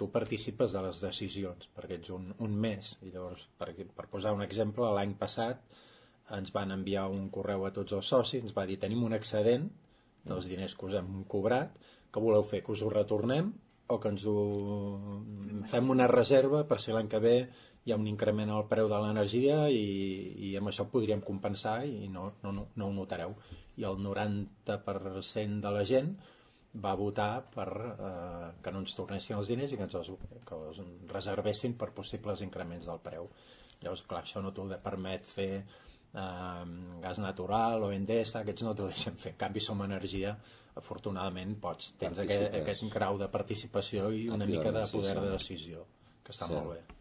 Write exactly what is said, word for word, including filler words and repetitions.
tu participes de les decisions, perquè ets un, un més. I llavors, per, per posar un exemple, l'any passat ens van enviar un correu a tots els socis, ens va dir, tenim un excedent dels diners que us hem cobrat, que voleu fer, que us ho retornem o que ens ho fem una reserva per si l'any que ve hi ha un increment al preu de l'energia i, i amb això podríem compensar i no, no, no, no ho notareu. I el noranta per cent de la gent va votar per eh, que no ens tornessin els diners i que ens els, que els reservessin per possibles increments del preu. Llavors, clar, això no t'ho permet fer eh, gas natural o Endesa, aquests no t'ho deixen fer. En canvi, Som Energia, afortunadament, pots, tens aquest, aquest grau de participació i una mica de poder de decisió, que està sí. molt bé.